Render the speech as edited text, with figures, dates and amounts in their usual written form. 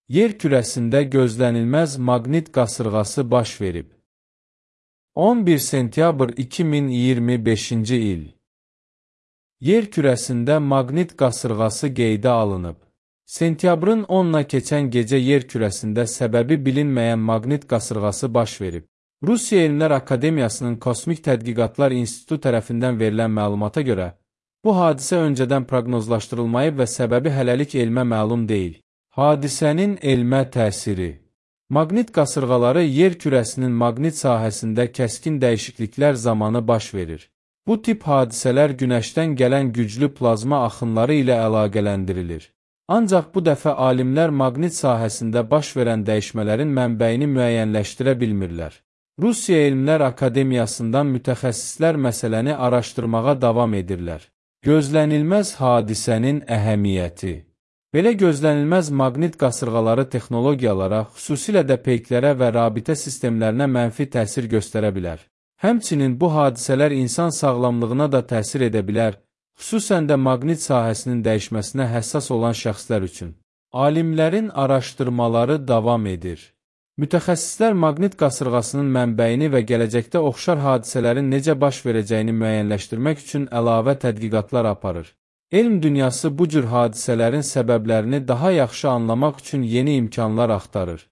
Yer kürəsində gözlənilməz maqnit qasırğası baş verib. 11 sentyabr 2025-ci il. Yer kürəsində maqnit qasırğası qeydə alınıb. Sentyabrın 10-na keçən gecə yer kürəsində səbəbi bilinməyən maqnit qasırğası baş verib. Rusiya Elmlər Akademiyasının Kosmik Tədqiqatlar İnstitutu tərəfindən verilən məlumata görə, bu hadisə öncədən proqnozlaşdırılmayıb və səbəbi hələlik elmə məlum deyil. Hadisənin elmə təsiri. Maqnit qasırğaları yer kürəsinin maqnit sahəsində kəskin dəyişikliklər zamanı baş verir. Bu tip hadisələr Günəşdən gələn güclü plazma axınları ilə əlaqələndirilir. Ancaq bu dəfə alimlər maqnit sahəsində baş verən dəyişmələrin mənbəyini müəyyənləşdirə bilmirlər. Rusiya Elmlər Akademiyasından mütəxəssislər məsələni araşdırmağa davam edirlər. Gözlənilməz hadisənin əhəmiyyəti. Belə gözlənilməz maqnit qasırğaları texnologiyalara, xüsusilə də peyklərə və rabitə sistemlərinə mənfi təsir göstərə bilər. Həmçinin bu hadisələr insan sağlamlığına da təsir edə bilər, xüsusən də maqnit sahəsinin dəyişməsinə həssas olan şəxslər üçün. Alimlərin araşdırmaları davam edir. Mütəxəssislər maqnit qasırğasının mənbəyini və gələcəkdə oxşar hadisələrin necə baş verəcəyini müəyyənləşdirmək üçün əlavə tədqiqatlar aparır. Elm dünyası bu cür hadisələrin səbəblərini daha yaxşı anlamaq üçün yeni imkanlar axtarır.